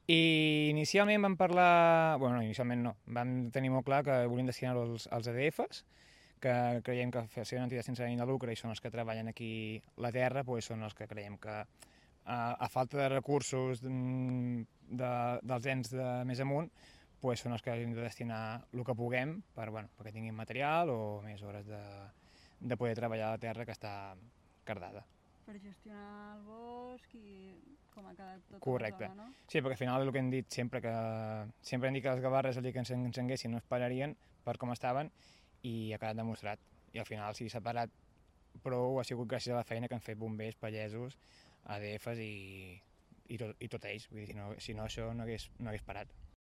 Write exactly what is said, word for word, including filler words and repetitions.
I inicialment vam parlar... Bueno, no, inicialment no. Vam tenir molt clar que volíem destinar-ho als, als A D Fs, que creiem que ser una entitat sense ànim de lucre i són els que treballen aquí la terra, doncs són els que creiem que a, a falta de recursos de, dels ens de més amunt, doncs són els que hem de destinar el que puguem per, bueno, perquè tinguin material o més hores de, de poder treballar a la terra que està cardada. Per gestionar el bosc i com ha quedat tota Correcte. la zona, no? Sí, perquè al final és el que hem dit sempre, que sempre hem dit que les gavarres el dia que ens encenguessin no es pararien per com estaven i ha quedat demostrat. I al final si s'ha parat prou ha sigut gràcies a la feina que han fet bombers, pagesos, A D Fs i, i, tot, i tot ells. Vull dir, si no, si no això no hagués, no hagués parat.